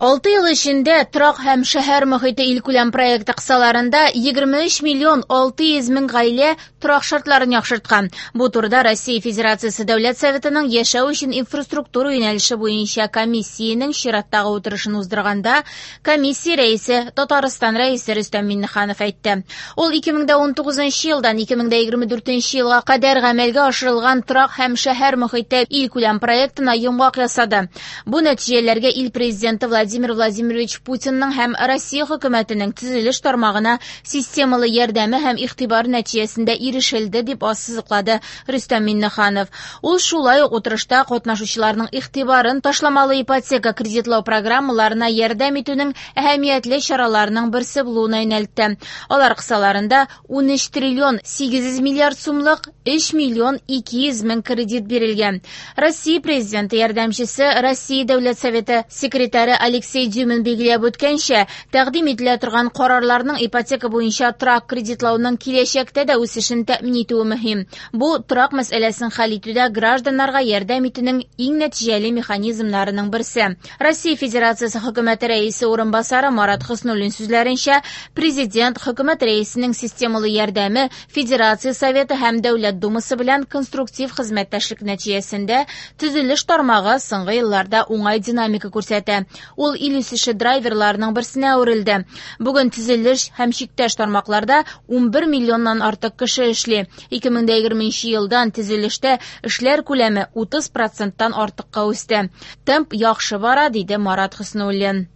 6 ел эчендә торак һәм шәһәр мохите илкүләм проекты кысаларында 23 миллион 600 мең гаилә торак шартларын яхшырткан. Бу турыда Россия Федерациясе Дәүләт Советының яшәү өчен инфраструктура юнәлеше буенча комиссиянең чираттагы утырышын уздырганда комиссия рәисе Татарстан Рәисе Рөстәм Миңнеханов әйтте. Ул 2019 елдан 2024 елга кадәр гамәлгә ашырылган торак һәм шәһәр мохите илкүләм проектына йомгак ясады. Бу нәтиҗәләргә ил президенты Владимир Владимирович Путинның һәм Россия хөкүмәтенең төзелеш тармагына системалы ярдәме һәм игътибар нәтиҗәсендә ирешелде, дип ассызыклады Рөстәм Миңнеханов. Ул шулай ук утырышта катнашучыларның игътибарын ташламалы ипотека кредитлау программаларына ярдәм итүнең әһәмиятле чараларының берсе булуына юнәлтте. Алар кысаларында 13 триллион 800 миллиард сумлык 3 миллион 200 мең кредит бирелгән. Россия президенты ярдәмчесе, Россия Дәүләт Советы секретаре Алексей Дюмин билгеләп үткәнчә, тәкъдим ителә торган карарларның ипотека буенча торак кредитлауның киләчәктә дә үсешен тәэмин итүе мөһим. Бу торак мәсьәләсен хәл итүдә гражданнарга ярдәм итүнең иң нәтиҗәле механизмнарының берсе. Россия Федерациясе хөкүмәте рәисе урынбасары Марат Хөснуллин сүзләренчә, президент хөкүмәт рәисенең системалы ярдәме Федерация Советы һәм Дәүләт Думасы белән конструктив хезмәттәшлек нәтиҗәсендә төзелеш тармагы соңгы елларда уңай динамика күрсәтә. Ул ил үсеше драйверларының берсенә әверелде. Бүген төзелеш һәм чиктәш тармакларда 11 миллионнан артык кеше эшли. 2020 елдан төзелештә эшләр күләме 30%-тан артыкка үсте. Темп яхшы бара, диде Марат Хөснуллин.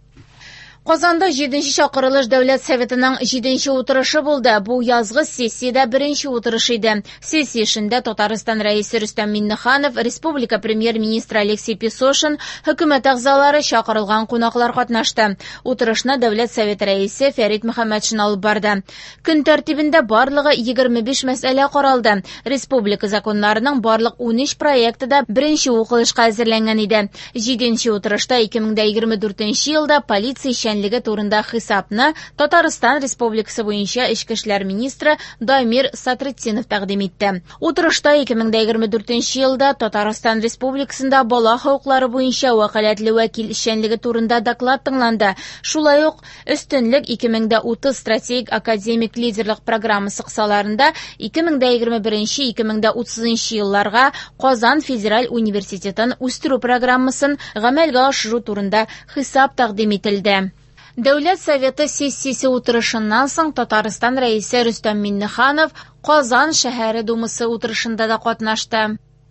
Казанда 7-нче чакырылыш Дәүләт Советының 7-нче утырышы булды. Бу язгы сессиядә беренче утырыш иде. Сессия эшендә Татарстан Рәисе Рөстәм Миңнеханов, республика премьер-министры Алексей Песошин, хөкүмәт әгъзалары, чакырылган кунаклар катнашты. Утырышны Дәүләт Советы рәисе Фәрит Мөхәммәтшин алып барды. Көн тәртибендә барлыгы 25 мәсьәлә каралды. Республика законнарының барлык 13 проекты да беренче укылышка әзерләнгән иде. 7-нче утырышта 2024 елда полиция эшчәнлеге турында хисапны Татарстан Республикасы буенча эчке эшләр министры Дамир Сатретдинов тәкъдим итте. Утырышта 2024 елда Татарстан Республикасында бала хокуклары буенча вәкаләтле вәкил эшчәнлеге турында доклад тыңланды. Шулай ук Өстенлек 2030 стратегик академик лидерлык программасы кысаларында 2021-2030 елларга Казан федераль университетын үстерү программасын гамәлгә ашыру турында хисап тәкъдим ителде. Дәүләт Советы сессиясе утырышыннан соң Татарстан Рәисе Рөстәм Миңнеханов Казан шәһәре Думасы утырышында да катнашты.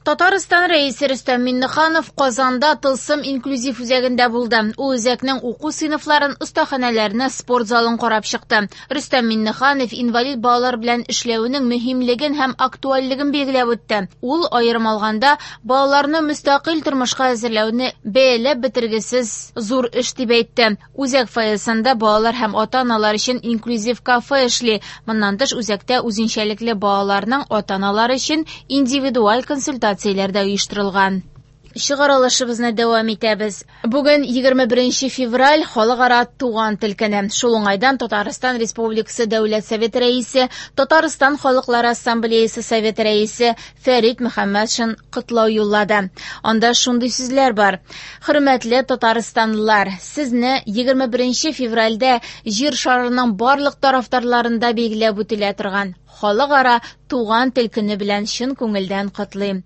Татарстан Рәисе Рөстәм Миңнеханов Казанда Тылсым инклюзив үзәгендә булды. Ул үзәкнең уку сыйныфларын, остаханәләрне, спорт залын карап чыкты. Рөстәм Миңнеханов инвалид балалар белән эшләүнең мөһимлеген һәм актуальлеген билгеләп үтте. Ул аерым алганда балаларны мөстәкыйль тормышка әзерләүне бәяләп бетергесез зур эш дип әйтте. Үзәк фойесында балалар һәм ата-аналар өчен инклюзив кафе эшли. Моннан тыш үзәктә үзенчәлекле балаларның ата-аналары өчен индивидуаль консультацияләр дә оештырылган. Чыгарылышыбызны дәвам итәбез. Бүген 21 февраль халыкара туган тел көне. Шул уңайдан Татарстан Республикасы Дәүләт Советы рәисе, Татарстан Халыклары Ассамблеясы Советы рәисе Фәрит Мөхәммәтшин котлау юллады. Анда шундый сүзләр бар. Хөрмәтле татарстанлылар, сезне 21 февральдә җир шарының барлык тарафдарларында билгеләп үтелә торган халыкара туган тел көне белән чын күңелдән котлыйм.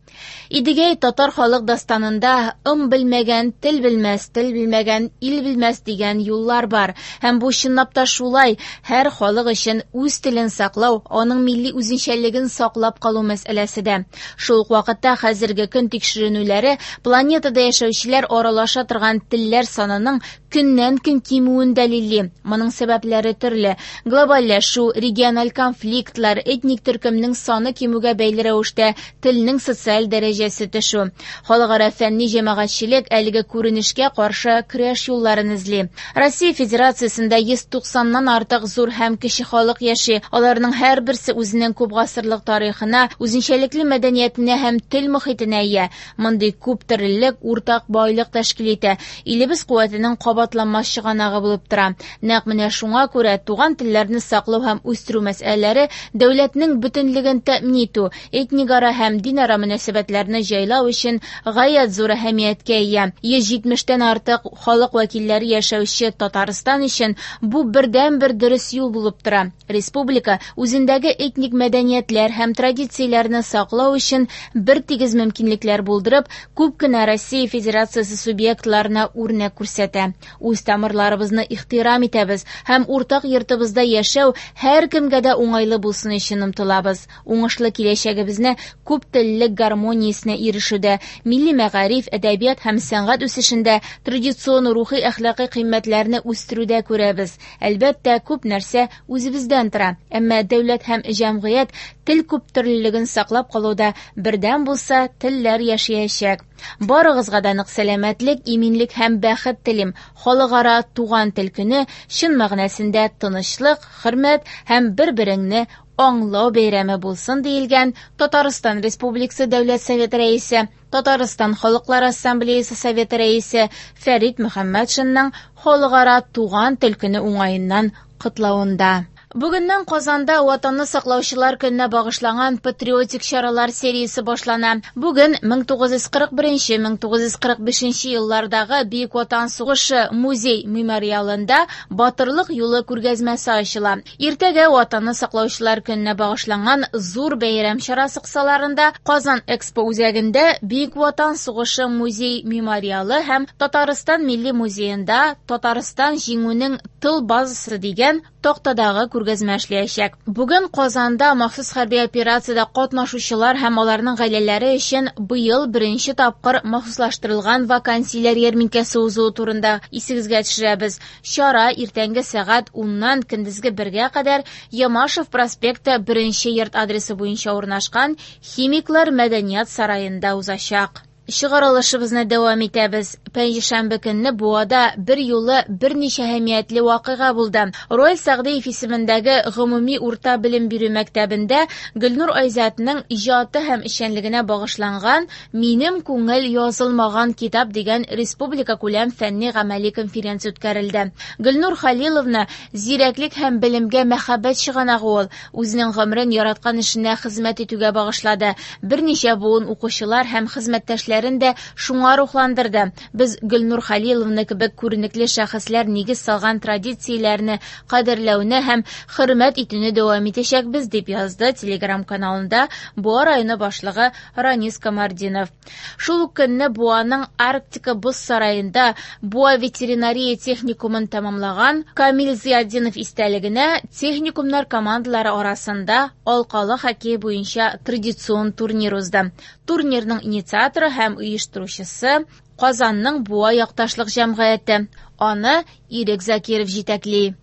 Идегәй татар халык дастанында ым белмәгән тел белмәс, тел белмәгән ил белмәс дигән юллар бар. Һәм бу чынлап та шулай, һәр халык өчен үз телен саклау, аның милли үзенчәлеген саклап калу мәсьәләсе дә. Шул ук вакытта хәзерге көн тикшеренүләре планетада яшәүчеләр аралаша торган телләр санының көннән-көн кимүен дәлилли. Моның сәбәпләре төрле. Глобальләшү, региональ конфликтлар, этник төркемнең саны кимүгә бәйле рәвештә телнең социаль дәрәҗәсе төшү. Халыкара фәнни җәмәгатьчелек әлеге күренешкә каршы көрәш юлларын эзли. Россия Федерациясендә 190-нан артык зур һәм кече халык яши. Аларның һәрберсе үзенең күп гасырлык тарихына, үзенчәлекле мәдәниятенә һәм тел мохитенә ия. Мондый күп төрлелек уртак байлык тәшкил итә. Илебез куәтенең кабатланмас чыганагы булып тора. Нәкъ менә шуңа күрә туган телләрне саклау һәм үстерү мәсьәләләре дәүләтнең бөтенлеген тәэмин итү, этникара һәм динара мөнәсәбәтләрне җайлау өчен гаять зур әһәмияткә ия. 170 тән артык халык вәкилләре яшәүче Татарстан өчен бу бердәнбер дөрес юл булып тора. Республика үзендәге этник мәдәниятләр һәм традицияләрне саклау өчен бертигез мөмкинлекләр булдырып, күп кенә Россия Федерациясе субъектларына үрнәк күрсәтә. Үз тамырларыбызны ихтирам итәбез һәм уртак йортыбызда яшәү һәркемгә дә уңайлы булсын өчен омтылабыз. Уңышлы киләчәгебезне күп теллелек гармониясенә ирешүдә, милли мәгариф, әдәбият һәм сәнгать үсешендә, традицион рухи-әхлакый кыйммәтләрне үстерүдә күрәбез. Әлбәттә, күп нәрсә үзебездән тора, әмма дәүләт һәм җәмгыять тел күптөрлелеген саклап калуда бердәм булса, телләр яшәячәк. Барыгызга да нык сәламәтлек, иминлек һәм бәхет телим. Халыкара туган тел көне чын мәгънәсендә тынычлык, хөрмәт һәм бер-береңне аңлау бәйрәме булсын, диелгән Татарстан Республикасы Дәүләт Советы Рәисе, Татарстан Халыклар Ассамблеясы Советы Рәисе Фәрит Мөхәммәтшинның Халыкара туган тел көне уңаеннан котлавында. Бүгеннән Казанда Ватанны саклаучылар көненә багышланган патриотик чаралар сериясе башлана. Бүген 1941-1945 еллардагы Бөек Ватан сугышы музей мемориалында Батырлык юлы күргәзмәсе ачыла. Иртәгә Ватанны саклаучылар көненә багышланган зур бәйрәм чарасы кысаларында Казан Экспо үзәгендә Бөек Ватан сугышы музей мемориалы һәм Татарстан Милли музеенда Татарстан җиңүнең тыл базасы дигән тактадагы күргәзмә эшләячәк. Бүген Казанда махсус хәрби операциядә катнашучылар һәм аларның гаиләләре өчен быел беренче тапкыр махсуслаштырылган вакансияләр ярминкәсе узуы турында исегезгә төшерәбез. Чара иртәнге сәгать 10-нан көндезге 1-гә кадәр Ямашев проспекты 1 йорт адресы буенча урнашкан Химиклар мәдәният сараенда узачак. Чыгарылышыбызны дәвам итәбез. Пәнҗешәмбе көнне Буада бер юлы берничә әһәмиятле вакыйга булды. Ройл Сәгъдиев исемендәге гомуми урта белем бирү мәктәбендә Гөлнур Айзатның иҗаты һәм эшчәнлегенә багышланган Минем күңел язылмаган китап дигән республика күләм фәнни гамәли конференция үткәрелде. Гөлнур Халиловна зирәклек һәм белемгә мәхәббәт чыганагы ул. Үзенең гомерен яраткан эшенә хезмәт итүгә багышлады. Берничә буын укучылар һәм хезмәттәшләрен дә шуңа рухландырды. Без Гөлнур Халиловна кебек күренекле шәхесләр нигез салган традицияләрне кадерләүне һәм хөрмәт итүне дәвам итәчәкбез, дип язды Телеграм каналында Буа районы башлыгы Ранис Камардинов. Шул ук көнне Буаның Арктика боз сараенда Буа ветеринария техникумын тәмамлаган Камил Зиятдинов истәлегенә техникумнар командалары арасында алкалы хоккей буенча традицион турнир узды. Турнирның инициаторы һәм оештыручысы Казанның Буа якташлык җәмгыяте. Аны Ирек Закиров җитәкли.